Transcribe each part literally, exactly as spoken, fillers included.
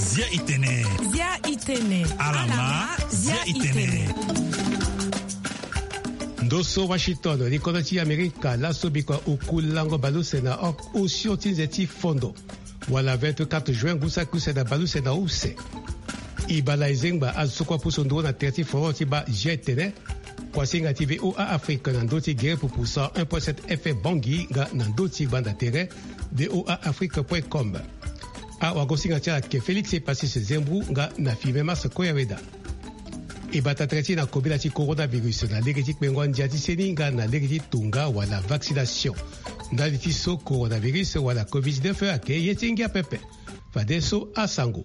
Zia itene. Zia itene. Alama. Zia itene. Ndo so Washington, li kodro ti Amerika, laso bikua oku lango baleuse na o-, osio ti nze ti fondo. Wala vingt-quatre juin, ngu saki use na baleuse na use. E baa na e zengba azo so kue apusu nduru na tere ti folklore ti baa Zia itene. Kuasinga ti V O A Afrique na ndö ti gere pupu cent un point sept F M Bangui nga na ndö ti gbanda tere V O A Afrique point com. Awagosinga ti ala ayeke Félix Epasis Zembou nga na filme Mars Koyaweda. E bata tere ti e na kobela ti coronavirus na lege ti kpengo andia ti seni nga na lege ti tonga wala vaccination. Ndali ti so coronavirus wala covid dix-neuf ayeke ye ti ngia pepe. Fadeso asango.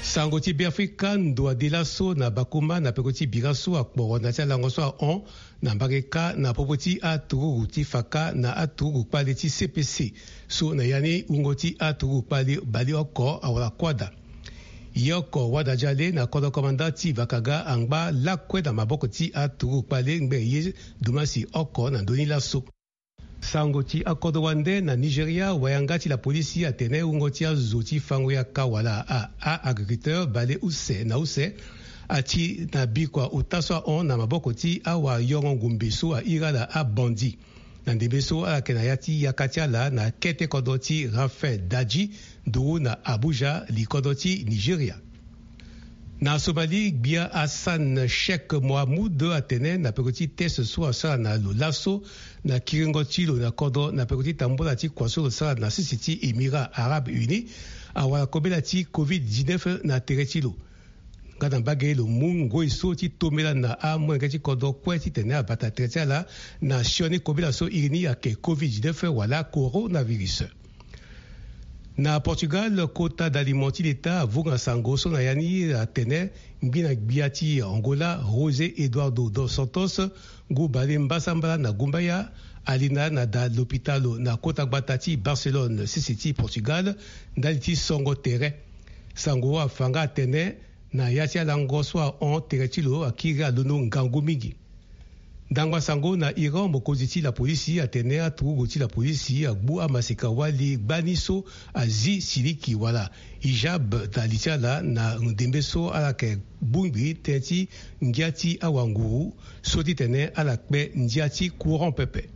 Sango ti Beafrika, ndo ade laso na Bakuma na peko ti bira so akporo na ya ti alango so ahon na mbage kâ na popo ti aturugu ti faka na aturugu kpale ti C P C so na ya ni wungo ti aturugu kpale baleoko awara kuâ daa. Ye oko wada jale na kodro komanda ti Vakaga angba lakue na maboko ti aturugu kpale ngbene ye dumasi oko na ndö ni laso. Sango ti akodro wande na Nigeria, wayanga ti lapolisi atene wungo ti azo ti fango yaka wala a, a-agriculteur baleuse na use ati na bikua ota so ahon na maboko ti awayongo ngumbe so airi ala abandi. Na ndembe so ala yeke na ya ti yaka ti ala na kete kodro ti Rafael Daji, nduru na Abuja, li kodro ti Nigeria. Na Somalie, gbia Hassan Sheikh Mohamud atene na peko ti test so asara na lo laso na kiringo ti lo na kodro na peko ti tambula ti kua so lo sara na sese ti Émirats Arabes Unis, awara kobela ti covid dix-neuf na tere ti lo. Nga na mbage lo mu ngoi so ti tombela na amolenge ti kodro kue titene abata tere ti ala na sioni kobela so iri ni ayeke covid dix-neuf wala coronavirus. Na Portugal, kota dalimo ti leta avunga sango so na ya ni atene ngbina gbia ti Angola, José Eduardo dos Santos, ngu bale mbasambala na gumbaya, ali na na da lopitalo na kota gbata ti Barcelone, sese ti Portugal, ndali ti songo tere. Sango afa nga atene na ya ti alango so ahon tere ti lo akiri alondo ngangu mingi. Ndangba sango na Iran, mokonzi ti lapolisi atene aturugu ti lapolisi agbu amaseka wali gbani so azi siliki wala hijab na li ti ala na ndembe so ala yeke bongbi tënë ti ngia ti awanguru so titene ala kpe ndia ti courant pepe.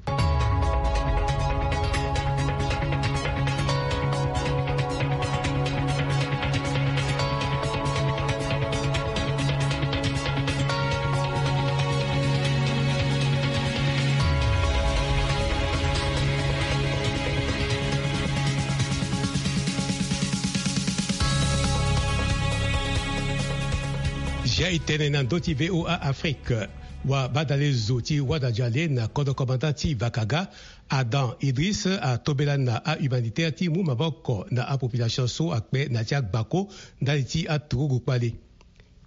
Zia e tene na ndö ti V O A Afrique. Wabadale zo ti wada jale na kodro komanda ti Vakaga, Adam Idriss, atombela na ahumanitaire ti mu maboko na apopulation so akpe na ya ti agbako ndali ti aturugu kpale.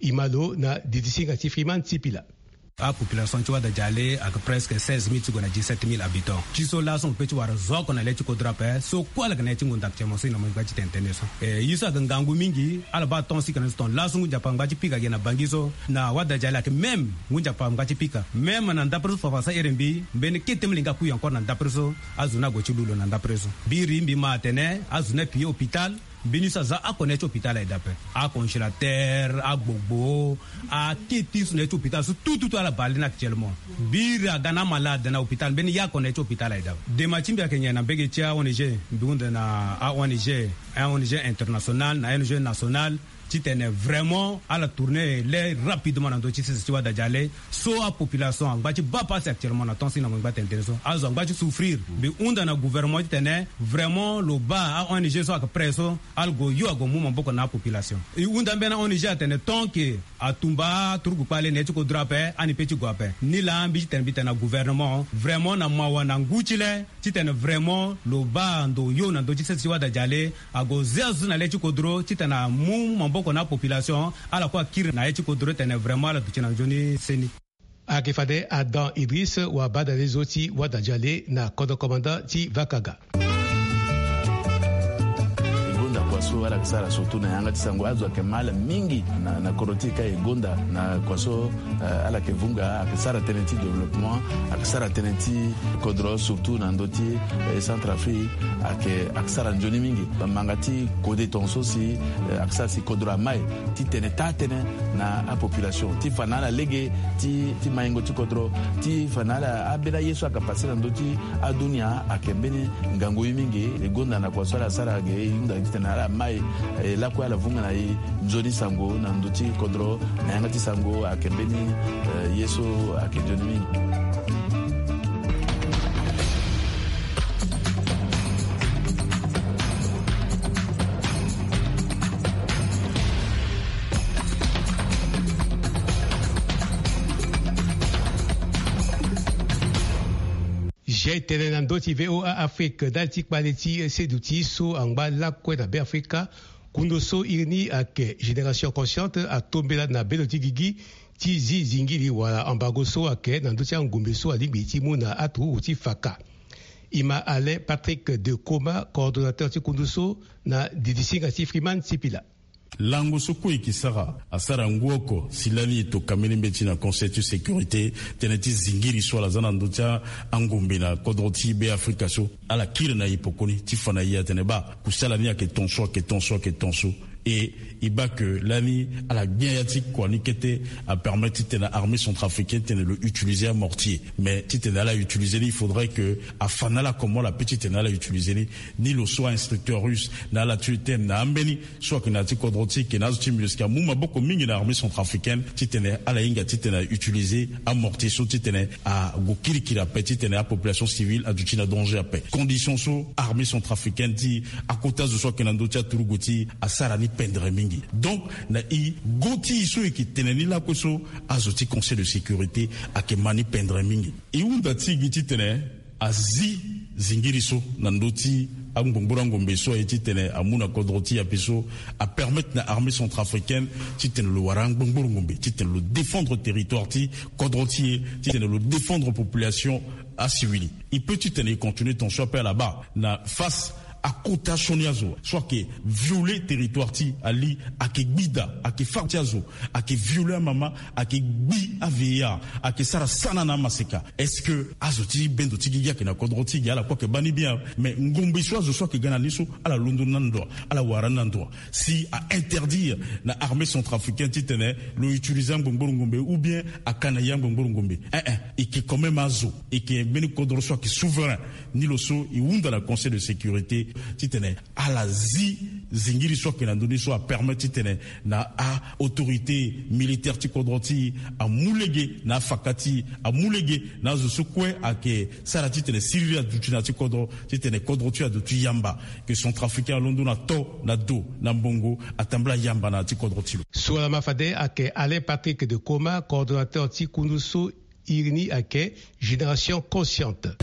E ma lo na didisinga ti Freeman Sipila. Apopulation ti wada jale ayeke presque seize mille ti gue na dix-sept mille habitants. Ti so laso mo pe ti wara zo oko na le ti kodro ape so kue ala yeke na ye ti ngonda actuellement so e na mo ngba ti tene tënë so. Eh, ye so ayeke ngangu mingi, ala baa ton sika na so ton laso ngu nzapa ngba ti pika ayeke na Bangui so na wada jale ayeke même ngu nzapa ngba ti pika. Même na ndapre so fafa sa ere mbi mbeni kete molenge akui encore na ndapre so. Azo ni ague ti lu lo na ndapre so. Biri mbi ma atene azo ni apiye hôpital. Mbeni so aza oko na ya ti hôpital aye daa ape. Acongélateur, agbogbo, akete so na ya ti hôpital so tout tout tout ala bale ni actuellement. Biri aga na amalade na hôpital, mbeni ye oko na ya ti hôpital aye daa. Dema ti mbi ayeke nyen na mbage ti a-O N G? Mbi hunda na a-O N G, a-O N G international na a-O N G national titene vraiment ala tourner le rapidement na ndö ti sese ti wada jale. So apopulation angba ti baa pasi actuellement na temps si na mo ngba tene tene so. Azo angba ti souffrir. Mbi hunda na gouvernement titene vraiment lo baa a-O N G so ayeke prêt so, ala gue yo ague mu maboko na apopulation. E hunda mbeni a-O N G atene tant que atumba aturugu kpale na ye ti kodro ape, ani pe ti gue ape. Nilaa mbi titene mbi tene na gouvernement vraiment na mawa na ngu ti le, titene vraiment lo baa ndo yo na ndö ti sese ti wada jale, ague zia zo na le ti kodro titene amu maboko na apopulation, ala kue akiri na ye ti kodro titene vraiment ala duti na nzoni seni. Ayeke fade Adam Idriss, wabadale zo ti wada jale na kodro komanda ti Vakaga. Ngonda kua So ala yeke sara surtout na yanga ti sango, azo ayeke ma ala mingi na, na kodro ti e ka e gonda na kua so, eh, ala yeke vunga, ayeke sara tënë ti développement, ayeke sara tënë ti kodro surtout na ndö ti, eh, Centrafrique, ayeke, ayeke sara nzoni mingi. Manga ti kode tongaso si, eh, ayeke sara si kodro amai titene taa tënë na apopulation ti fa na ala lege ti, ti maingo ti kodro, ti fa na ala, ambeni aye so ayeke pase na ndö ti adunia ayeke mbeni ngangu ye mingi. E gonda na kua so ala sara ge, e hunda titene ala mai, eh, lakue ala vunga na e nzoni sango na ndö ti kodro, na yanga ti sango ayeke mbeni, eh, ye so ayeke nzoni mingi. Zia e tene na ndö ti V O A Afrique, ndali ti kpale ti seduti so angba lakue na Beafrika. Kundu so iri ni ayeke Génération Consciente atombela na bendo ti gigi ti zi zingiri wala embargo so ayeke na ndö ti angombe so alingbi ti mu na aturugu ti faka. E ma Alain Patrick de Coma, coordonnateur ti kundu so, na didisinga ti Freeman Sipila. Lango so kue e ke sara, asara ngu oko si lani e toka mbeni mbeti na Conseil ti sécurité, tënë ti zingiri so ala za na ndö ti angombe na kodro ti Beafrika so. Ala kiri na e pekoni ti fa na e atene baa kusala ni ayeke tongaso, ayeke tongaso, ayeke tongaso. E, e baa ke lani ala gbia ya ti kua ni kete apermettre titene armée centrafricaine tene lo utiliser amortier. Mais titene ala utiliser ni, il faudrait que afa na ala comment ala peut titene ala utiliser ni. Ni lo so a-instructeur russe na ala ti tene na ambeni so ayeke na ya ti kodro ti e, ayeke na azo ti MINUSCA, amu maboko mingi na armée centrafricaine titene ala hinga titene a utiliser amortier so titene ague kirikiri ape, titene apopulation civile aduti na danger ape. Condition so armée centrafricaine ti akota zo so ayeke na ndö ti aturugu ti e asara ni pendere mingi. Donc na e go ti e so e yeke tene ni lakue so, azo ti Conseil de sécurité ayeke ma ni pendere mingi. E hunda ti e gi titene azi zingiri so na ndö ti angbongboro angombe so aye titene amu na kodro ti e ape so, apermettre na armée centrafricaine titene lo wara angbongboro ngombe, titene lo défendre territoire ti kodro ti e, titene lo défendre population asiwili. E peut titene e continuer tongaso ape ala baa na face akota sioni azo so ayeke violer territoire ti ali, ayeke gbi da, ayeke fâ ti azo, ayeke violer amama, ayeke gbi a-V I H, ayeke sara sana na amaseka. Est-ce que azo ti bendo ti gigi ayeke na kodro ti e ge? Ala kue ayeke baa ni bien. Mais ngombe so azo so ayeke ga na ni so, ala londo ni na ndo, ala wara ni na ndo. Si a-interdire na armée centrafricaine titene lo utiliser angbongboro ngombe ou bien aka na ye angbongboro ngombe, eh eh, e yeke quand même azo, e yeke mbeni kodro so ayeke souverain. Ni lo so e hunda na Conseil de sécurité titene ala zi zingiri so ayeke na ndö ni so apermettre titene na a-autorité militaire ti kodro ti e amu lege na afaka ti e, amu lege na azo so kue ayeke sara titene siriri aduti na ya ti kodro, titene kodro ti e aduti yamba, que centrafricain alondo na to, na do, na mbongo, atambula yamba na ya ti kodro ti lo. So ala ma fade ayeke Alain Patrick de Coma, coordonnateur ti kundu so iri ni ayeke Génération Consciente.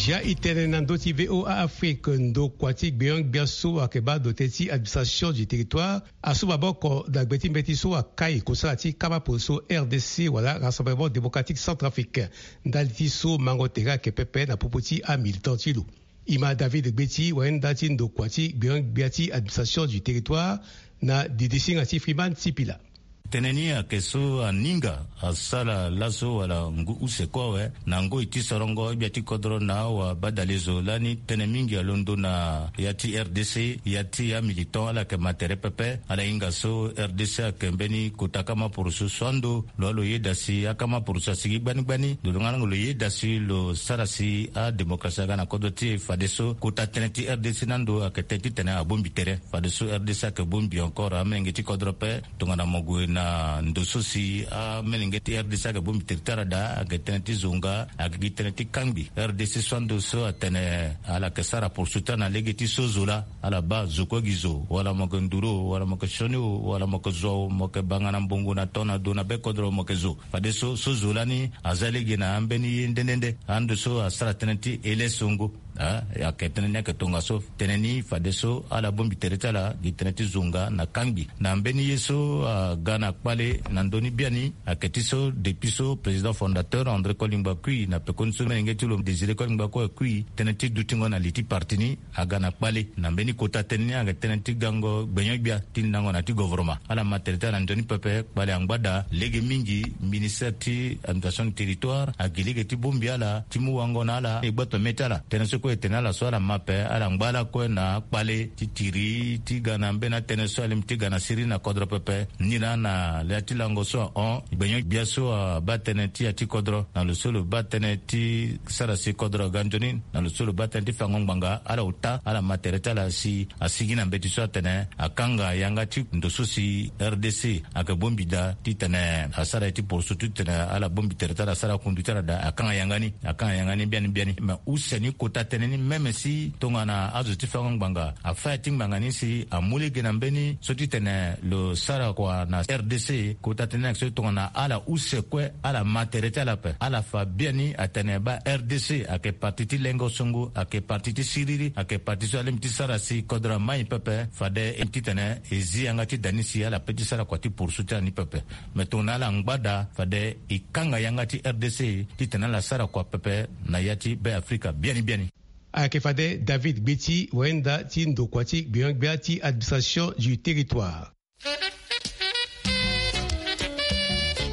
Zia e tene na ndö ti V O A Afrique, ndokua ti gbenyo-gbia so ayeke baa dote ti administration du territoire asu maboko na gbe ti mbeti so akai kosala ti kama poroso R D C wala Rassemblement Démocratique Centrafricain. Ndali ti so mango tere ayeke pepe na popo ti amilitant ti lo. E ma David Gbeti, wayenda ti ndokua ti gbenyo-gbia ti administration du territoire, na didisinga ti Freeman Sipila. Tënë ni ayeke so aninga asara laso wala ngu use kue awe na ngoi ti sorongo gbia ti kodro na awabadale zo lani tënë mingi alondo na ya ti R D C, ya ti amilitant ala yeke ma tere pepe. Ala hinga so R D C ayeke mbeni kota kama poroso so ando lo, lo yeda si akama poroso asigi gbani gbani. Lo, lo nga lango lo yeda si lo sara si adémocratie aga na kodro ti e. Fadeso kota tënë ti R D C na ando ayeke tënë titene abongbi tere. Fadeso R D C ayeke bongbi encore amolenge ti kodro ape. Tongana mo gue na ndo so si amolenge ti R D C ayeke bongbi tere ti ala daa, ayeke tënë ti zonga, ayeke gi tënë ti kangbi. R D C so ando so atene ala yeke sara poursuite na lege ti so zo laa, ala baa zo kue gi zo, wala mo yeke nduru o, wala mo yeke sioni o, wala mo yeke zo o, mo yeke banga na mbongo na to na do na be kodro mo yeke zo. Fadeso so zo lani aza lege na ambeni ye nde nde nde. Ando so asara tënë ti ele songo. Ah, ayeke tënë ni ayeke tongaso. Tënë ni fadeso ala bongbi tere ti ala gi tënë ti zo nga na kangbi na mbeni ye so aga na kpale na ndö ni biani. Ayeke ti so depuis so président fondateur André Kolingba Kui na pekoni so menge ti lo Désiré Kolingba Kui tënë ti dutingo na li ti parti ni aga na kpale. Na mbeni kota tënë ni ayeke tënë ti gango gbenyo-gbia ti ndango na ti govoroma. Ala ma tere ti ala na ndö ni pepe. Kpale angba daa lege mingi. Ministère ti administration du territoire agi lege ti bongbi ala ti mu wango na ala e gbe tome ti ala. Tënë so kue e tene ala so ala ma ape ala ngba ala kue na akpale ti tiri ti ga na mbeni atënë so alingbi ti ga na siriri na kodro pepe. Ni laa na le ti lango so ahon gbenyo-gbia so abaa tënë ti ya ti kodro na lo so lo baa tënë ti sara si kodro aga nzoni na lo so lo baa tënë ti fango ngbanga ala ota ala ma tere ti ala si asigi na mbeti so atene akanga yanga ti ndo so si R D C ayeke bongbi daa titene asara ye ti poroso titene ala bongbi tere ti ala asara kundu ti ala daa akanga yanga ni. Akanga yanga ni biani biani me use ni kota tënë ni même si tongana azo ti fango ngbanga afa ya ti ngbanga ni si amu lege na mbeni so titene lo sara kua na R D C kota tënë ni ayeke so tongana ala use kue ala ma tere ti ala ape ala fa biani atene baa R D C ayeke parti ti lengo songo ayeke parti ti siriri ayeke parti so alingbi ti sara si kodro amai pepe fade titene e zi yanga ti da ni si ala pe ti sara kua ti poroso ti ala ni pepe. Me tongana ala ngba daa fade e kanga yanga ti R D C titene ala sara kua pepe na ya ti Be Afrika biani biani. Ayeke fade David Gbeti wayenda ti ndokua ti gbenyo-gbia ti administration du territoire.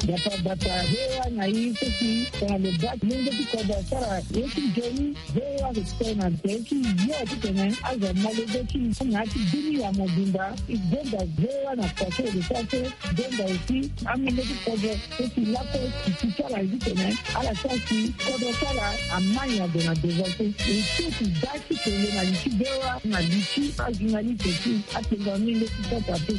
Batabata V O A na i so si tongana lo baa ti lenge ti kodro asara ye ti nzoni. V O A ayeke tene na tere ti yo titene azo amolenge ti na ya ti bini ya mobimba. E gonda V O A na kua so e lo sara so. Gonda aussi amolenge ti kodro so si lakue titi ti ala ye titene ala sara si kodro ti ala amai ado na devant so. E so si baa ti kele na li ti V O A na li ti ajournaliste ti atengo amolenge ti kodro ape.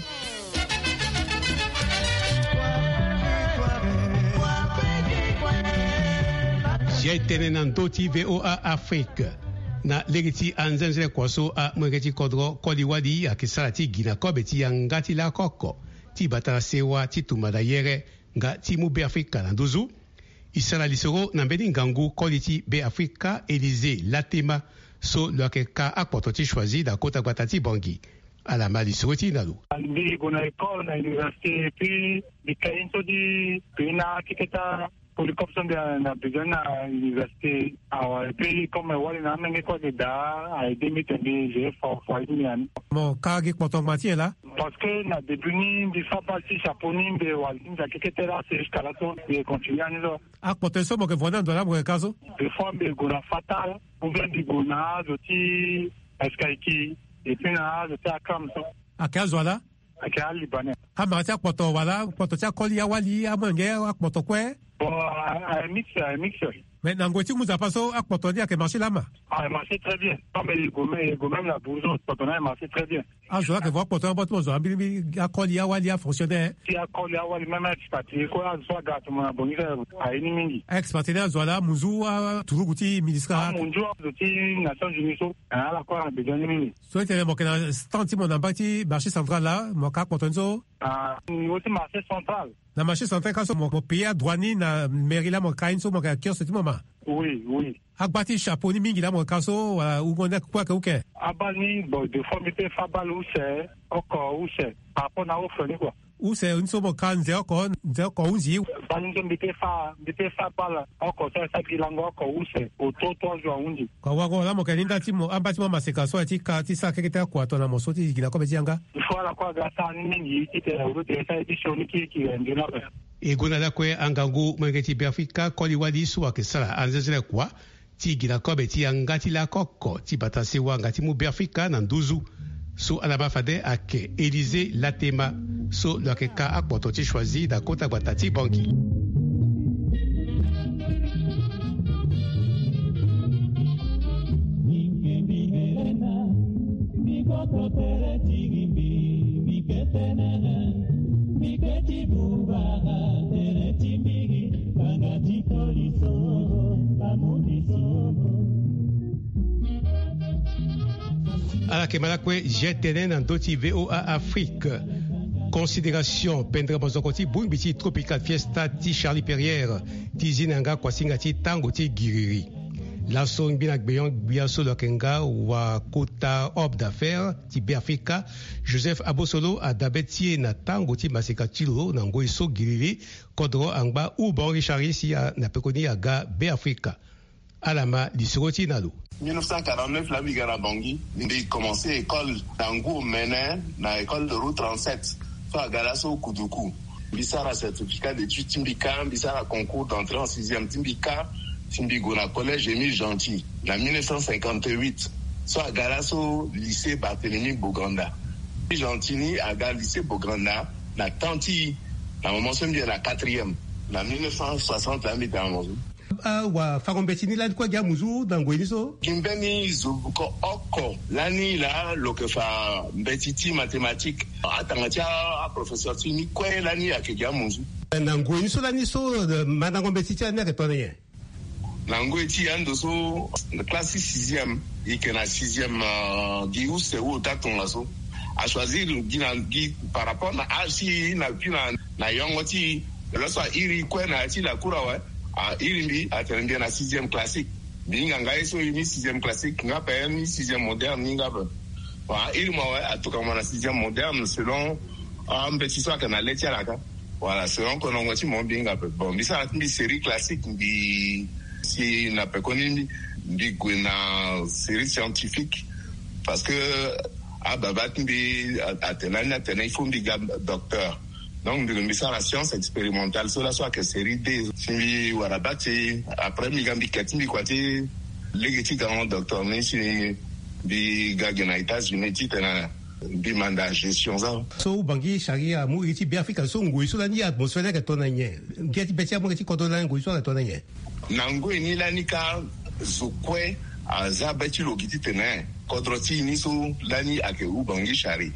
Zia e tene na ndö ti V O A Afrique. Na lege ti anzenzele kua so amolenge ti kodro koli-wali ayeke sara ti gi na kobe ti yanga ti lakoko ti bata na sewa ti tumba na yere nga ti mu Be Afrika na nduzu. E sara lisoro na mbeni ngangu koli ti Be Afrika Élysée Latema so lo yeke ka akpoto ti Choisy na kota gbata ti Bangui. Ala ma lisoro ti e na lo. Mbi gue na école na université puis mbi ka ye so ti pays na akeketa polycope so mbi na besoin na université. Awa et puis comme wali na amenge kue ayeke daa a aide mbi tene mbi je fo fo aye ti mbi na ni. Mo ka gi kpoto ngba ti nyen laa? Parce que na début ni mbi fa bale ti chapeau ni mbi wali ti nze akekete laa c'est jusqu'à là so mbi continue ani so. Akpoto ye so mo yeke vo ni na ndo laa mo yeke ka so? Des fois mbi gue na Fatal ou bien mbi gue na azo ti Escaïki et puis na azo ti Akam so. Ayeke azo ala? Ayeke alibanais. Amara ti akpoto wala akpoto ti akoli awali amolenge akpoto kue? Bon, a mix a mix. Mais na ngoi ti mu nzapa so akpoto ni ayeke marché lama? Ah, marché très bien. Comme il gomme il gomme na bourgeon akpoto ni marché très bien. Azo la ayeke vo akpoto ni abo ti mo zo ambilimbili akoli awali afonctionnaire. Ti akoli awali même aexpatrié kue azo so aga atomo na bongisa aye ni mingi. Aexpatrié ni azo ala amunzu aturugu ti ministre? Amunzu azo ti Nations Unies so ala kue na besoin ni mingi. So e tene mo yeke na stand ti mo na mbage ti marché central laa mo ka akpoto ni so? Ah, niveau ti marché central. Na marché central ka so mo mo payer adroit ni na mairie laa mo ka ye ni so mo yeke na kiosque ti mo ma? Oui oui. Agba ti chapeau ni mingi laa mo yeke ka so wala wungo ni kue ayeke uke? Abale ni bon des fois mbi pe fa bale use oko use par rapport na offre ni kua. Use ni so mo ka nze oko nze oko hunzi? Bale ni so mbi pe fa mbi pe fa bale oko so asa gi lango oko use auto trois jours ahunzi. Kua wango laa mo yeke na ni nda ti mo amba ti mo amaseka so aye ti ka ti sara keke ti akua tongana mo so ti gi na kobe ti yanga. Il faut ala kue aga sara ni mingi titene olo tene sara ye ti sioni kiri kiri ande ni ape. E gonda lakue angangu molenge ti Beafrika koli wali so ayeke sara anzenzele kua ti gi na kobe ti yanga ti lakoko ti bata sewa nga ti mu Beafrika na nduzu. So ala ma fade ayeke Élysée Latema so lo yeke ka akpoto ti Choisy na kota gbata ti Bangui. Ala yeke ma lakue G T N na ndö ti V O A Afrique. Considération pendere mozoko ti bongbi ti Tropical Fiesta ti Charlie Perrier ti zi na yanga kuasinga ti tango ti giriri. Laso ngbina gbeyon gbia so lo yeke nga wakota homme d'affaires ti Beafrika, Joseph Abosolo, adabe ti e na tango ti maseka ti lo na ngoi so gilili kodro angba Houban Richard si a na pekoni aga Beafrika. Ala ma lisoro ti e na lo. Mille neuf cent quarante-neuf la mbi ga na Bangui, mbi commencé école na ngu omene na école de route trente-sept so aga laso Kuduku. Mbi sara certificat d'études ti mbi kâ, mbi sara concours d'entrée en sixième ti mbi kâ, si mbi gue na collège Émile Gentil na mille neuf cent cinquante-huit so aga laso lycée Barthélemy Boganda. Émile Gentil ni aga lycée Boganda na temps ti, na moment so mbi yeke na quatrième, na mille neuf cent soixante la mbi tene na mo so. Ah, wafango mbeti ni lani kue gi amunzu na ngoi ni so? Gi mbeni zo ko oko lani laa lo yeke fa mbeti ti mathématique. Atanga ti a, aprofesseur ti ni kue lani ayeke gi amunzu. Na ngoi ni so lani so, eh, mandango mbeti ti lani ayeke tongana nyen? Na ngoi ti ando so, classe ti sixième, e yeke na sixième, euh, gi use ou ota tongaso. Achoisir gi na gi par rapport na âge ti e na gi na, na yongo ti e. Lo so a iri kue na ya ti lacour awe, a iri mbi, atene mbi na sixième classique. Mbi hinga nga ye so e ni sixième classique nga ape, ni sixième moderne ni nga ape. Bon, a iri mo awe, atoka mo na sixième moderne selon ambeti so ayeke na le ti ala kâ. Voilà, selon konongo ti mo mbi hinga ape. Bon, mbi sara ti mbi série classique, mbi si na pekoni mbi, mbi gue na série scientifique. Parce que ababa ti mbi a, atene ani atene il faut mbi ga docteur. Donc mbi, mbi sara science expérimentale so laso ayeke série D. Si mbi wara bac ti, après mbi ga mbi ke ti mbi kua ti lege ti ga docteur ni si mbi ga gi na États-Unis titene mbi manda gestion so. So Houban Richard amu iri ti Beafrika so ngoi so lani atmosphère ni ayeke tongana nyen? Ngia ti be ti amu iri ti kodro lani ngoi so ayeke tongana nyen? Na ngoi ni lani kâ zo kue aza be ti lo gi titene kodro ti e ni so lani ayeke Houban Richard.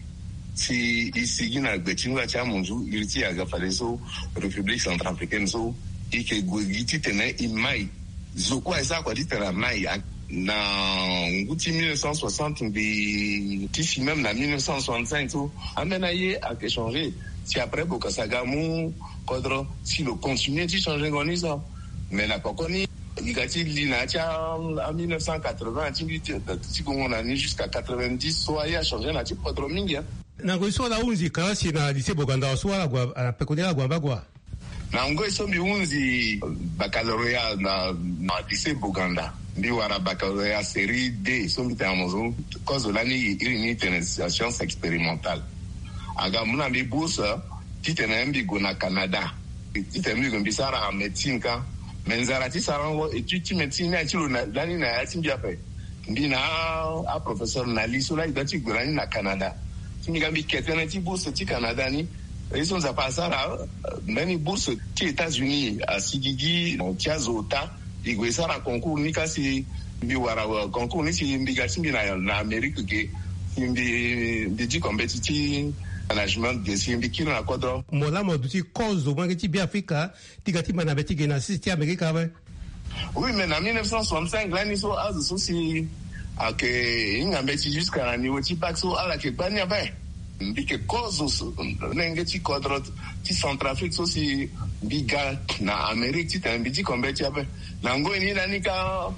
Si e sigi na gbe ti ngba ti amunzu iri ti e aga fadeso République centrafricaine so e yeke gue gi titene e mai. Zo kue aye sara kua titene amai. Na ngu ti mille neuf cent soixante mbi ti si même na mille neuf cent soixante-cinq so ambeni aye ayeke changé. Si après Bokassa aga amu kodro si lo continué ti changengo ni so. Mais na poko ni e ga ti li na ya ti a mille neuf cent quatre-vingts ti mbi ti gongo na ni jusqu'à quatre-vingt-dix so aye achangé na ya ti kodro mingi. Na ngoi so ala hunzi kalasi na lycée Boganda so ala gue na pekoni ala gue na bagua. Na ngoi so mbi hunzi baccalauréat na, na lycée Boganda. Mbi wara baccalauréat série D so mbi tene na mo so. Kozo lani iri ni tene science expérimentale. Aga amu na mbi bourse titene mbi gue na Canada. Titene mbi gue mbi sara médecine kâ. Mais nzara ti sarango étude ti médecine ni aye ti lo na, lani na ya ti mbi ape. Mbi na a, aprofesseur na li so laa e doit ti gue na ni na Canada. Si mbi ga mbi ke tënë ti bourse ti Canada ni, ye so Nzapa asara, euh, mbeni bourse ti États-Unis asi gigi ti azo ota. E gue e sara concours ni kâ si mbi wara, euh, concours ni si mbi ga ti mbi na, na Amérique ge. Si mbi, mbi diko mbeti ti management ge si mbi kiri na kodro. Mo laa mo duti kozo molenge ti Beafrika ti ga ti ma na be ti ge na sese ti Amérique awe. Oui, mais na mille neuf cent soixante-cinq lani so azo so si ayeke hinga mbeti jusqu'à na niveau ti bac so ala yeke gbani ape. Mbi yeke kozo so, lenge ti kodro ti Centrafrique so si mbi ga na Amérique titene mbi diko mbeti ape. Na ngoi ni lani kâ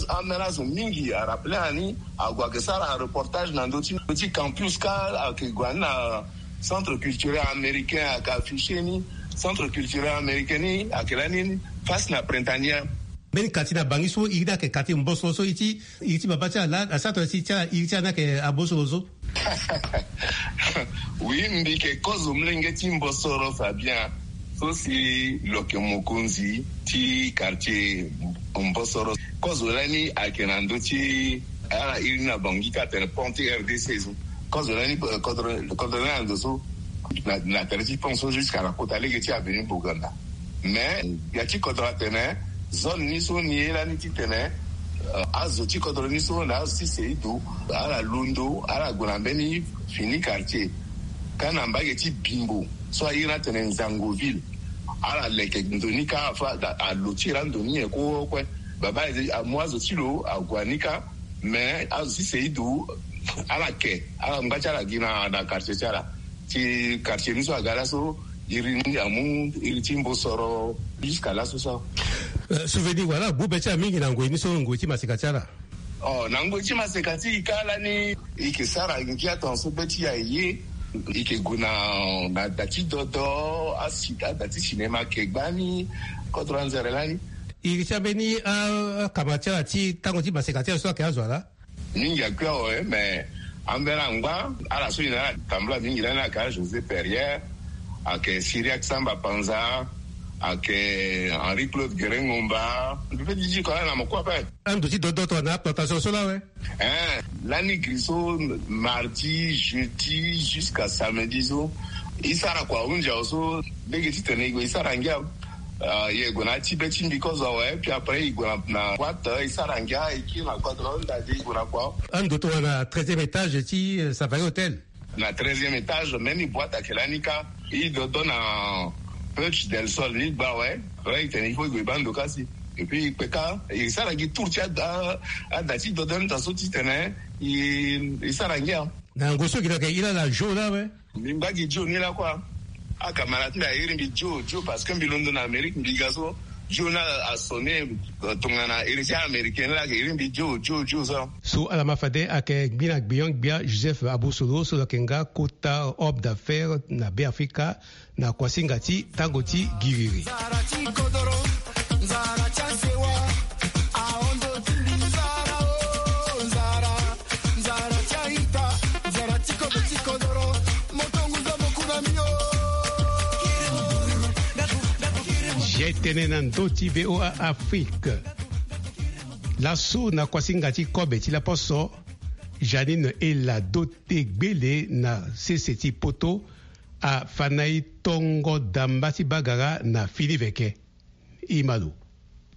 ambeni azo mingi arappelé na ni, ague ayeke sara reportage na ndö ti, ndö ti campus kâ ayeke gue na ni na Centre culturel américain ayeke affiché ni. Centre culturel américain ni ayeke lani face na Printanière. Mbeni quartier na Bangui so iri ni ayeke quartier Mbosoro so iri ti, iri ti baba ti ala laa asara tongana si ti ala iri ti ala ni ayeke Abosoro so. Oui, mbi yeke kozo molenge ti Mbosoro Fabien. So si lo yeke mokonzi ti quartier Mbosoro. Kozo lani ayeke na ndö ti ala iri ni na Bangui kâ atene pont ti R D C so. Kozo lani, eh, kodro, kodro lani na ndo so. Na, na tere ti pont so jusqu'à na kota lege ti avenue Boganda. Mais ya ti kodro atene zone ni so ni ye lani titene, eh, azo ti kodro ni so na azo ti Seidu, ala londo, ala gue na mbeni fini quartier. Kâ na mbage ti Bimbo so aye ni atene Nzangoville. Ala leke ndo ni kâ afa, alo ti e laa ndo ni nyen kue kue. Baba amu azo ti lo ague na ni kâ. Mais azo ti Seidu ala ke, ala ngba ti ala gi na, na quartier ti ala. Ti quartier ni so aga laso, Iri ni amu iri ti mbosoro jusqu'à laso so. Euh, souvenir wala gbu be ti ala mingi na ngoi ni so, ngoi ti maseka ti ala. Oh, na ngoi ti maseka ti e ka lani, e yeke sara ngia tongaso be ti e aye. E yeke gue na, na da ti dodo, asi, ada ti cinéma ayeke gbani, kodro anzere lani. Iri ti ambeni, ah, akama ti ala ti tango ti maseka ti ala so ayeke azo ala? Mingi akui awe, mais ambeni angba, ala so e na ala tambula mingi lani ayeke José Perrier, ayeke Cyriaque Samba Panza, ayeke Henri Claude Guérin Ngomba. Mbi pe ti di ko ala na mokua ape. Ando ti dodo tongana plantation so la awe. Eh, lani gri so, mardi, jeudi, jusqu'à samedi so, e sara kua ahunzi awe so, lege titene e gue e sara ngia. Ah, e gue na ya ti be ti mbi kozo awe, puis après e gue na, na boîte, e sara ngia, e kiri na kua, tongana nda de e gue na kua. Ando tongana treizième étage ti, euh, Savaii Hôtel. Na treizième étage, même boîte ayeke lani kâ. E dodo na Puerta del Sol ni gba awe. Wala e tene il faut e gue e baa ndo kâ si. Et puis e kpe kâ, e sara gi tour ti ada, ada ti dodo ni daa so titene e, e sara ngia. Na ngoi so gi na yeke iri ala Joe la awe. Mbi ngba gi Joe ni lakue. Acamarade ti mbi airi mbi Joe, Joe, parce que mbi londo na Amérique, mbi ga so Joe ni asonné, euh, tongana héritier américain ni la ayeke iri mbi Joe, Joe, Joe so. So ala ma fade ayeke gbi na gbion-gbia Joseph Abosolo so lo yeke nga kota homme d'affaires na Beafrika na kuasinga ti tango ti giriri. Ye tënë na ndö ti V O A Afrique. Laso na kuasinga ti kobe ti laposo, Janine Ela Dote Gbele na sese ti poto afa na e tongo damba ti bagara na fini veke. Imalo.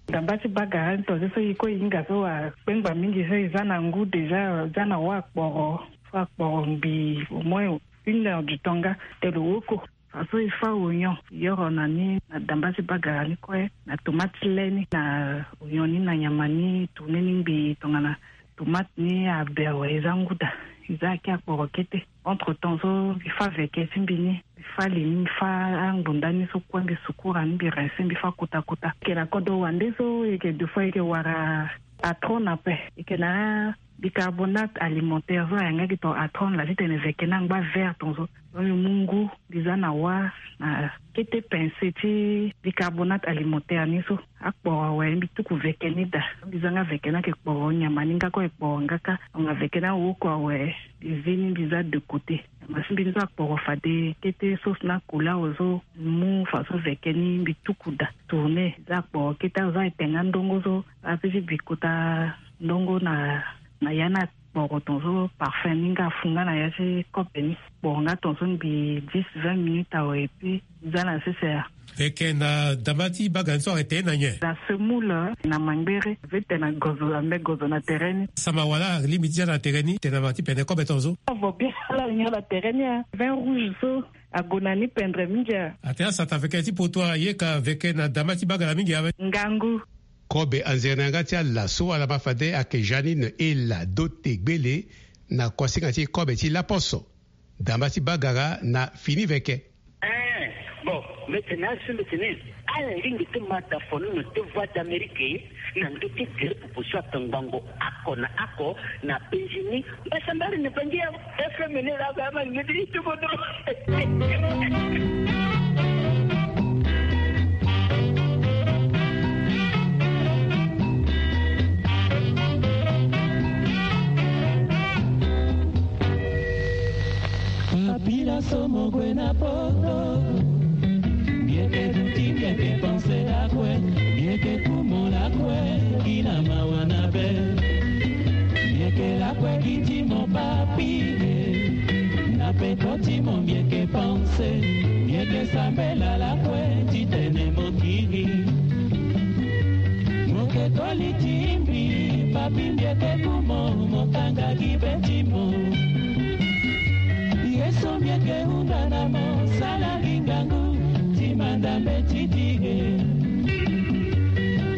Damba ti bagara ni tongaso so e kue e hinga so akpengba mingi so e za na ngu déjà, e za na wâ akporo, fo akporo ngbii au moins une heure du temps nga te lo woko. Faso e fâ oignon, e yoro na ni na damba ti bagara ni kue, na tomate ti le ni, na oignon ni, na nyama ni, tourner ni ngbii tongana tomate ni abe awe, e za ngu daa, e za ake akporo kete. Entre temps so mbi fâ veke ti mbi ni, mbi fâ li ni, mbi fâ angbonda ni so kue, mbi sukura ni, mbi rincer, mbi fâ kota kota. E yeke na kodro wande so, e yeke deux fois, e yeke wara atron ape. E yeke na bicarbonate alimentaire so ayeke nga gi ton atron laa titene veke ni angba vert tongaso. Donc mbi mu ngu, mbi za na wâ na kete pincée ti bicarbonate alimentaire ni so. Akporo awe, mbi tuku veke ni daa. Mbi za nga veke ni ayeke kporo nyama ni nga kue, ayeke kporo nga kâ. Donc veke ni awoko awe, mbi zi ni, mbi za de côté. Nyama ti mbi ni so akporo fade kete, sauce ni akoli awe so, mbi mu faso veke ni, mbi tuku daa. Tourner, za akporo kete, azo ayeke te nga ndongo so, ape ti bi kota ndongo na, na ya ni akporo tongaso, parfum ni nga afu nga na ya ti kobe ni. Kporo nga tongaso ngbii dix, vingt minutes awe, et puis za na sese. Veke na damba ti bagara ni so ayeke te na nyen? Na semoule, na mangbere, ve te na gozo, ambe gozo na tere ni. Sama wala alingbi ti za na tere ni, te na ma ti pene kobe tongaso. Avo bien, ala alingi ala tere ni, ah. Vin rouge so ague na ni pendre mingi, ah. Atene asata veke ti poto aye ka veke na damba ti bagara mingi awe. Ngangu. Kobe anzere na yanga ti ala so ala ma fade ayeke Janine Ela Dote Gbele na kuasinga ti kobe ti laposo. Damba ti bagara na fini veke. Eh, bon, mbi tene asi mbi tene ala lingbi ti ma da fono na deux voix d'Amérique na ndö ti gere popo so atongbango oko na oko na penzi ni. Mbasambari na bangi ya F M ni la ba ma ngedi ti kodro. Papila so mo gue na poto. Mbi yeke duti, mbi yeke panse lakue, mbi yeke kumo lakue, gi na mawa na be. Mbi yeke lakue gi ti mo papi e. Na peko ti mo mbi yeke panse, mbi yeke sambela lakue titene mo kiri. Mo ke koli ti mbi, papi mbi yeke kumo, mo kanga gi be ti mo. Ye so mbi yeke hunda na mo, sala gi ngangu ti manda mbeti ti e.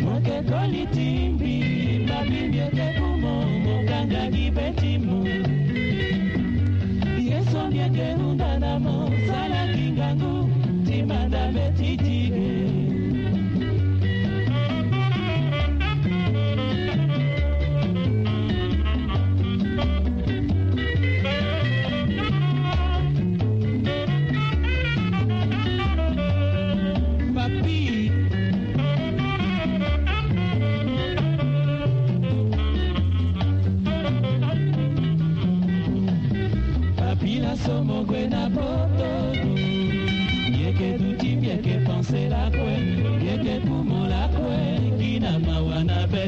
Mo ke koli ti mbi, papi mbi yeke kumo, mo kanga gi be ti mo. Ye so mbi yeke hunda na mo, sala gi ngangu ti Petit tigre. Papi. Papi la somo gue na poto. Yeke duti mbieke panse lakue. Yeke kumo lakue. Gi na mawa na be.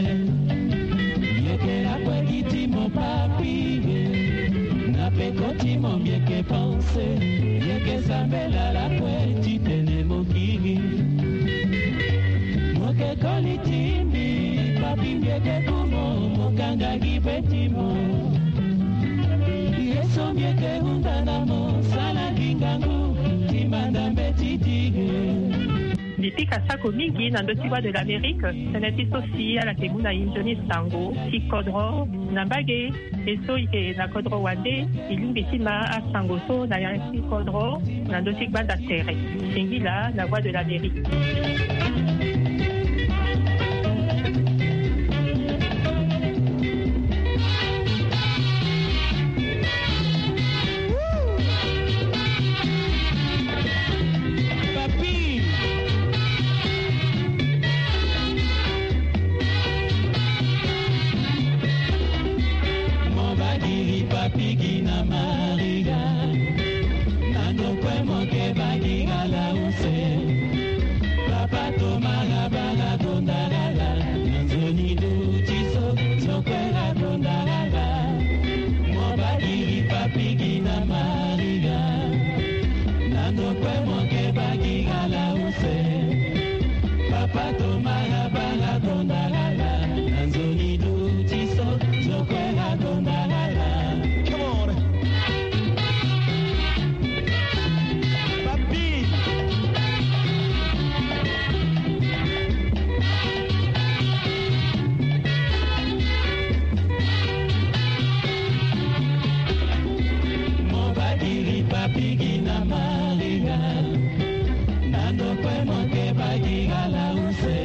Yeke lakue gi ti mo papi. Na peko ti mo mbieke panse. Yeke sambela lakue ti tene mo kiri. Mo ke koli ti mbi, papi mbieke kumo, mo kanga gi be ti mo. Ye so mbieke hunda na mo, sala gi ngangu, ti manda mbeti ti ge. Mbi pika sako mingi na ndö ti Voix de l'Amérique, tënë ti so si ala yeke mu na e nzoni sango ti kodro na mbage. E so e yeke na kodro wande, e lingbi ti ma asango so na ya ti kodro na ndö ti gbanda tere. Singila na Voix de l'Amérique. Papi. Mo bagiri papi gi na Maria. Na ndokue mo ke bagira la use. Papa Toma la bara gonda la la. Na nzoni duti so, ndokue la gonda la la. Mo bagiri papi gi na Maria. Na ndokue mo ke bagira la use. Papa Toma la bara gonda la la. Na nzoni duti so, ndokue la gonda la la. Come on. Papi. Mo bagiri papi gi na Maria. Na ndokue mo ke bagira la use.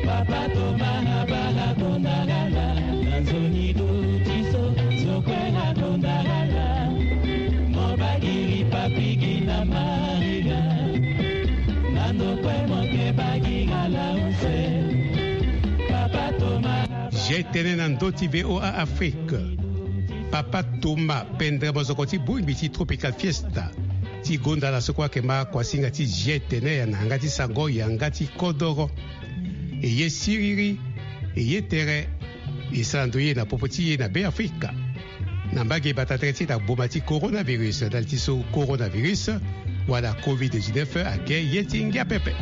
Papa Toma na bara gonda la la. Na nzoni duti so, ndokue la gonda la la. Mo bagiri papi gi na Maria. Na ndokue mo ke bagira la use. Papa Toma. Zi tene na ndö ti V O A Afrique. Papa Toma Pendre mozoko ti bongbi ti Tropical Fiesta ti gonda la so kue ayeke ma kuasinga ti zi tene ya na yanga ti sango, yanga ti kodoro. E ye siriri, e ye tere, e sara ndo ye na popo ti e na Beafrika. Na mbage bata tere ti e na gboma ti coronavirus, ndali ti so coronavirus wala covid dix-neuf ayeke ye ti ngia pepe.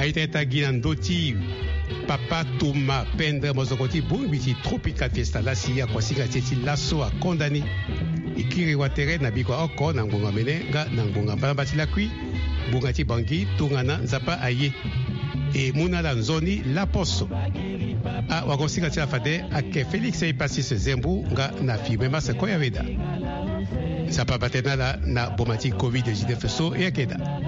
Aita ita gi na ndö ti Papa Toma Pendre mozoko ti bongbi ti Tropical Fiesta la si akuasinga ti e ti laso akonda ni. E kiri watere na bikua oko na ngbonga mene nga na ngbonga mbalamba ti lakui, ngbonga ti Bangui, tongana Nzapa aye. E mu na ala nzoni laposo. Awagosinga ti ala fade ayeke Félix Hypatience Zembu nga na Firmin Massa Koyaweda. Nzapa abate na ala na boma ti covid dix-neuf so e yeke daa.